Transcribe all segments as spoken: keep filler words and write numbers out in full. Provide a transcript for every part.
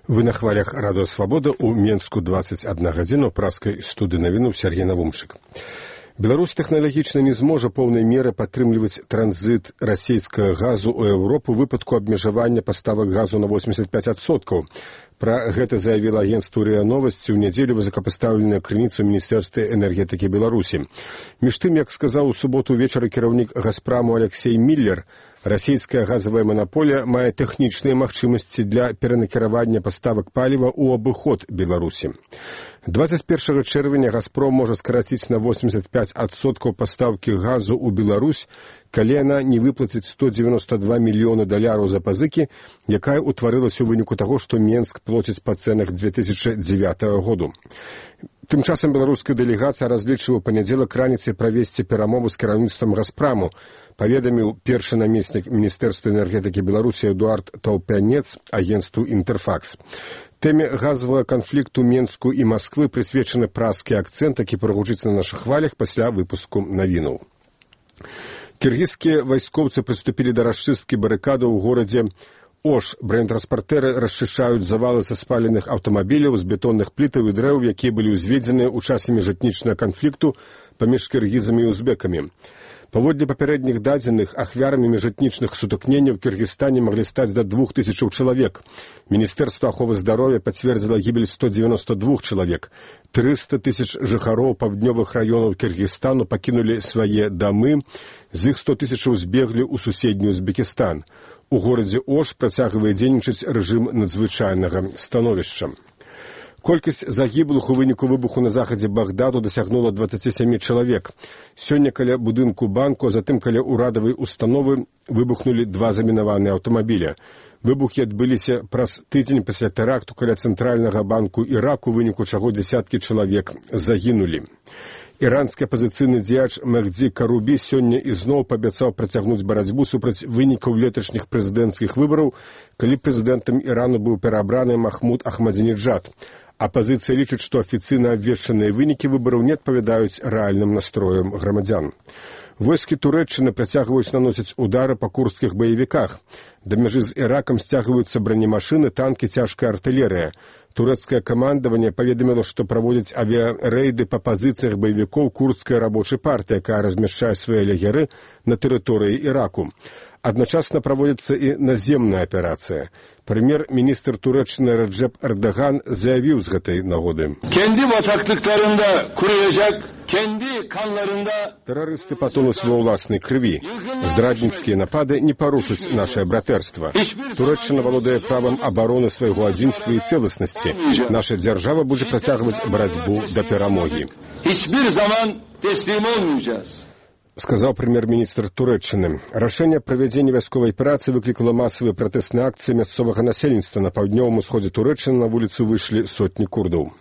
Вы на хвалях радио «Свобода» у Менску двадцать одна гадзіна ў праскай студыі навінаў Сергей Навумшык. Беларусь тэхналагічна не зможа поўнай меры падтрымліваць транзіт расійскага газу ў Еўропу ў выпадку абмежавання паставак газу на восемьдесят пять адсоткаў. Пра гэта заявіла агенцтву РИА Новости ў нядзелю высокапастаўленая крыніца ў Міністэрстве энергетыкі Беларусі. Між тым, як сказаў у суботу ўвечары кіраўнік «Газпраму» Алексей Миллер, расійская газавая манаполія мае тэхнічныя магчымасці для перанакіравання паставак паліва ў абыход Беларусі. двадцать первого чэрвеня «Газпром» можа скараціць на восемьдесят пять адсоткаў пастаўкі газу ў Беларусь, калі яна не выплаціць сто девяносто два мільёны даляраў за пазыкі, якая ўтварылася ў выніку таго, што Менск плоціць па цэнах две тысячи дзевятого году. Тым часам беларуская дэлегацыя разлічвае ў панядзелак раніцай правесці перамовы з кіраўніцтвам «Газпраму», паведаміў першы намеснік Міністэрства энергетыкі Беларусі Эдуард Таўпянец агенцтву «Інтэрфакс». Тэме газавага канфлікту Менску і Масквы прысвечаны праскі акцэнт, які прагучыць на нашых хвалях пасля выпуску навінаў. Кіргізскія вайскоўцы прыступілі да расчысткі барыкадаў у горадзе Ош. Бронетранспартэры расчышчаюць завалы са спаленых аўтамабіляў з бетонных плітаў і дрэў, якія былі ўзведзены ў часе міжэтнічнага канфлікту паміж кіргізамі і узбекамі. Паводле папярэдніх дадзеных, ахвярамі міжэтнічных сутыкненняў у Кіргізстане маглі стаць да двух тысячаў чалавек. Міністэрства аховы здароўя пацвердзіла гібель сто девяносто два чалавек. триста тысяч жыхароў паўднёвых раёнаў Кіргізстану пакінулі свае дамы, з іх сто тысячаў збеглі ў суседні Узбекістан. У горадзе Ош працягвае дзейнічаць рэжым надзвычайнага становішча. Колькасць загіблых у выніку выбуху на захадзе Багдаду дасягнула двадцать семь чалавек. Сёння каля будынку банку, а затым каля ўрадавай установы выбухнулі два замінаваныя аўтамабіля. Выбухі адбыліся праз тыдзень пасля тэракту каля цэнтральнага банку Іраку, у выніку чаго дзесяткі чалавек загінулі. Іранскі апазіцыйны дзеяч Мехді Карубі сёння ізноў паабяцаў працягнуць барацьбу супраць вынікаў леташніх прэзідэнцкіх выбараў, калі прэзідэнтам Ірану быў пераабраны Махмуд Ахмадзінеджад. Апазіцыя лічыць, што афіцыйна абвешчаныя вынікі выбараў не адпавядаюць рэальным настроям грамадзян. Войскі Турэччыны працягваюць наносіць удары па курдскіх баевіках. Да мяжы з Іракам сцягваюцца бронемашыны, танкі, цяжкая артылерыя. Турэцкае камандаванне паведаміла, што праводзяць авіярэйды па пазіцыях баевікоў курдскай рабочай партыі, якая размяшчае свае лагеры на тэрыторыі Іраку. Адначасна праводзіцца і наземная аперацыя. Прэм'ер-міністр Турэччыны Реджеп Эрдоган заявіў з гэтай нагоды: «Тэрарысты патонуць ва ўласнай крыві. Здрадніцкія напады не парушаць нашае братэрства. Турэччына валодае правам абароны свайго адзінства і цэласнасці. Наша дзяржава будзе працягваць барацьбу да перамогі», сказаў прэм'ер-міністр Турэччыны. Рашэнне правядзення вайсковай аперацыі выклікала масавыя пратэсныя акцыі мясцовага насельніцтва. На паўднёвым усходзе Турэччыны на вуліцу выйшлі сотні курдаў.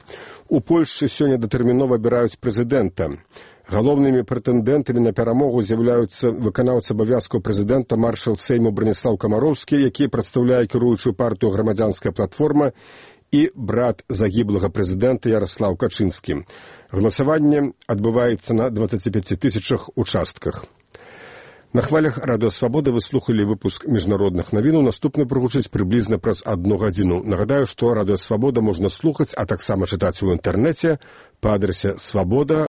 У Польшчы сёння датэрмінова абіраюць прэзідэнта. Галоўнымі прэтэндэнтамі на перамогу з'яўляюцца выканаўца абавязкаў прэзідэнта маршал Сейму Браніслаў Камароўскі, які прадстаўляе кіруючую партыю «Грамадзянская платформа», і брат загіблага прэзідэнта Яраслаў Качынскі. Галасаванне адбываецца на двадцати пяти тысячах участках. На хвалях радыё «Свабода» вы слухалі выпуск міжнародных навінаў. Наступны прагучыць прыблізна праз адну гадзіну. Нагадаю, што радыё «Свабода» можна слухаць, а таксама чытаць у інтэрнэце па адрасе свабода